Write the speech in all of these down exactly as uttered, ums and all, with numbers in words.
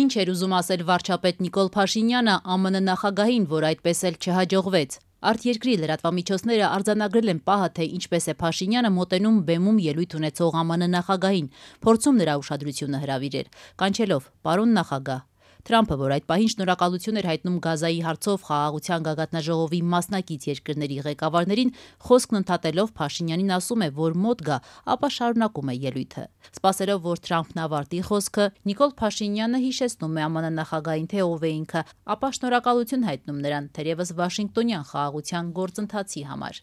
Ինչ էր ուզում ասել վարչապետ Նիկոլ Փաշինյանը Ա M N նախագահին, որ այդպես էլ չհաջողվեց։ Արտերկրի լրատվամիջոցները արձանագրել են պահը, թե ինչպես է Փաշինյանը մոտենում բեմում ելույթ ունեցող Ա M N նախագահին, փորձում նրա ուշադրությունը հրավիրել, կանչելով «Պարոն նախագահ»։ Թրամփը, որ այդ պահին շնորհակալություն էր հայտնում Գազայի հարցով խաղաղության գագաթնաժողովի մասնակից երկրների ղեկավարներին, խոսքն ընդհատելով Փաշինյանին ասում է, որ մոտ գա, ապա շարունակում է ելույթը։ Սպասելով, որ Թրամփն ավարտի խոսքը, Նիկոլ Փաշինյանը հիշեցնում է Ա M N նախագահին, թե ով է ինքը, ապա շնորհակալություն հայտնում նրան, թերևս Վաշինգտոնյան խաղաղության գործընթացի համար։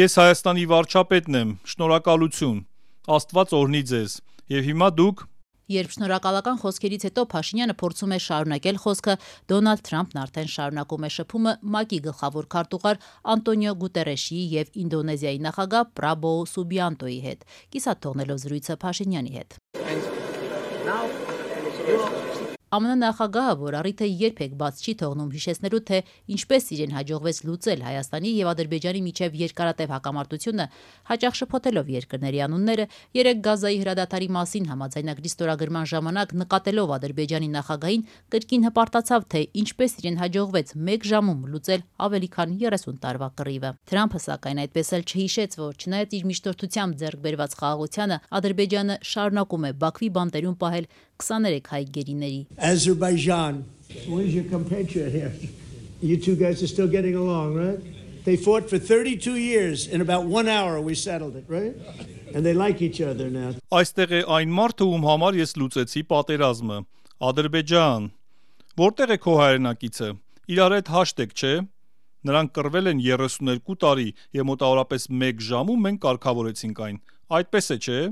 Ես Հայաստանի վարչապետն եմ, շնորհակալություն, Աստված օրհնի ձեզ, եւ հիմա դուք։ Երբ շնորհակալական խոսքերից հետո Փաշինյանը փորձում է շարունակել խոսքը, Դոնալդ Թրամփն արդեն շարունակում է շփումը Մ A K-ի գլխավոր քարտուղար Անտոնիո Գուտերեշի եւ Ինդոնեզիայի նախագահ Պրաբոո Սուբիանտոյի հետ, կիսատ թողնելով զրույցը Փաշինյանի հետ։ Ա M N նախագահը, որ առիթը երբեք բաց չի թողնում հիշեցնելու, թե ինչպես իրեն հաջողվեց լուծել Հայաստանի եւ Ադրբեջանի միջև երկարատև հակամարտությունը, հաճախ շփոթելով երկրների անունները, երեկ Գազայի հրադադարի մասին համաձայնագրի ստորագրման ժամանակ նկատելով Ադրբեջանի նախագահին, կրկին հպարտացավ, թե ինչպես իրեն հաջողվեց մեկ ժամում լուծել ավելի քան երեսուն տարվա կռիվը։ Թրամփը, սակայն, այդպես էլ չհիշեց, որ չնայած իր միջնորդությամբ ձեռք բերված խաղաղությանը, Ադրբեջանը շարունակում է Բաքվի բանտերում պահել քսաներեք հայ գերիների։ Azerbaijan, where's your compatriot here? You two guys are still getting along, right? They fought for thirty-two years. In about one hour we settled it, right? And they like each other now. Այստեղ է այն մարդը, ում համար ես լուծեցի պատերազմը։ Ադրբեջան։ Որտեղ է քո հայրենակիցը։ Իրար հետ հաշտ եք, չէ՞։ Նրանք կռվել են երեսուներկու տարի եւ մոտավորապես մեկ ժամում մենք կարգավորեցինք այն։ Այդպես է, չէ՞։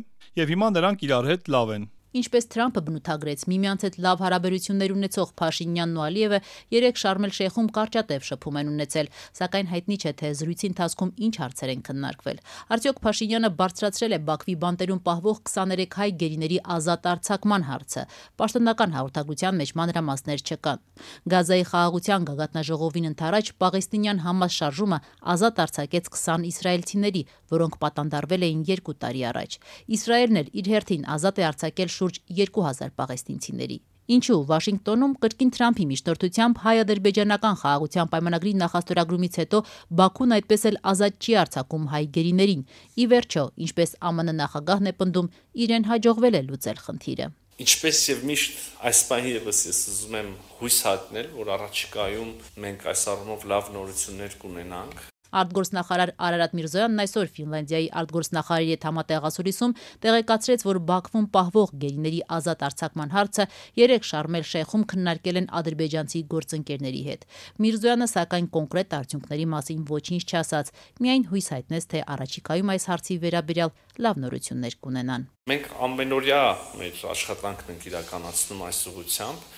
Եվ հիմա նրանք իրար հետ լավ են։ Ինչպես Թրամփը բնութագրեց, միմյանց հետ լավ հարաբերություններ ունեցող Փաշինյանն ու Ալիևը երեք Շարմ էլ Շեյխում կարճատև շփում են ունեցել, սակայն հայտնի չէ, թե զրույցի ընթացքում ինչ հարցեր են քննարկվել։ Արդյոք Փաշինյանը բարձրացրել է Բաքվի բանտերում պահվող քսաներեք հայ գերիների ազատ արձակման հարցը։ Պաշտոնական հաղորդագրության մեջ մանրամասներ չկան։ Գազայի խաղաղության գագաթնաժողովին ընդառաջ Պաղեստինյան Համաս շարժումը ազատ արձակեց քսան իսրայելցիների, որոնք պատանդարվել էին երկու տարի առաջ։ Իսրայելն էլ իր հերթին ազատ է արձակել շուրջ երկու հազար պաղեստինցիների։ Ինչու Վաշինգտոնում կրկին Թրամփի միջնորդությամբ հայ-ադրբեջանական խաղաղության պայմանագրի նախաստորագրումից հետո Բաքուն այդպես էլ ազատ չի արձակում հայ գերիներին։ Ի վերջո, ինչպես Ա M N նախագահն է պնդում, իրեն հաջողվել է լուծել խնդիրը։ Ինչպես եւ միշտ այս պահի եւս ես ուզում եմ հույս հատնել, որ առաջիկայում մենք այս առումով լավ նորություններ կունենանք։ Արտգործնախարար Արարատ Միրզոյանն այսօր Ֆինլանդիայի արտգործնախարարի հետ համատեղասուլիսում տեղեկացրեց, որ Բաքվում պահվող գերիների ազատ արձակման հարցը երեք Շարմ էլ Շեյխում քննարկել են ադրբեջանցի գործընկերների հետ։ Միրզոյանը, սակայն, կոնկրետ արդյունքների մասին ոչինչ չասաց, միայն հույս հայտնեց, թե առաջիկայում այս հարցի վերաբերյալ լավ նորություններ կունենան։ Մենք ամենօրյա մեր աշխատանքն ենք իրականացնում այս ուղղությամբ։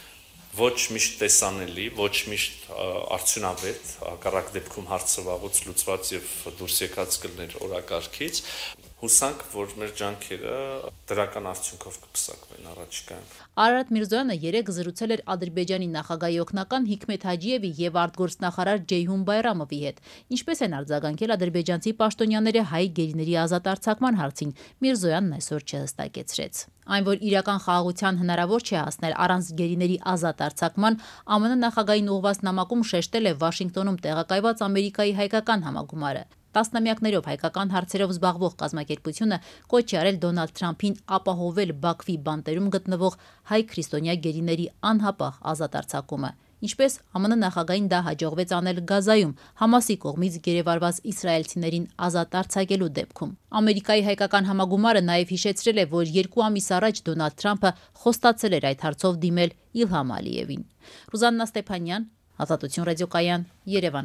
Ոչ միշտ տեսանելի, ոչ միշտ արդյունավետ, հակառակ դեպքում հարցը վաղուց լուծված եւ դուրս եկած կլներ օրակարգից։ Հուսանք, որ մեր ջանքերը դրական արդյունքով կպսակվեն առաջիկայում։ Արարատ Միրզոյանը երեկ զրուցել էր Ադրբեջանի նախագահի օգնական Հիկմեթ Հաջիևի եւ արտգործնախարար Ջեյհուն Բայրամովի հետ։ Ինչպես են արձագանքել ադրբեջանցի պաշտոնյաները հայ գերիների ազատ արձակման հարցին, Միրզոյանն այսօր չհստակեցրեց։ Այն, որ իրական խաղաղության հնարավոր չէ հասնել առանց գերիների ազատ արձակման, Ա M N նախագահային ուղղված նամակում շեշտել է Վաշինգտոնում տեղակայված Ամերիկայի հայկական համագումարը։ Տասնամյակներով հայկական հարցերով զբաղվող կազմակերպությունը կոչ է արել Դոնալդ Թրամփին ապահովել Բաքվի բանտերում գտնվող հայ քրիստոնյա գերիների անհապաղ ազատ արձակումը։ Ինչպես Ա M N նախագահին դա հաջողվեց անել Գազայում Համասի կողմից գերեվարված իսրայելցիներին ազատ արձակելու դեպքում։ Ամերիկայի հայկական համագումարը նաև հիշեցրել է, որ երկու ամիս առաջ Դոնալդ Թրամփը խոստացել էր այդ հարցով դիմել Իլհամ Ալիևին։ Ռուզաննա Ստեփանյան, Ազատություն ռադիոկայան, Երևան։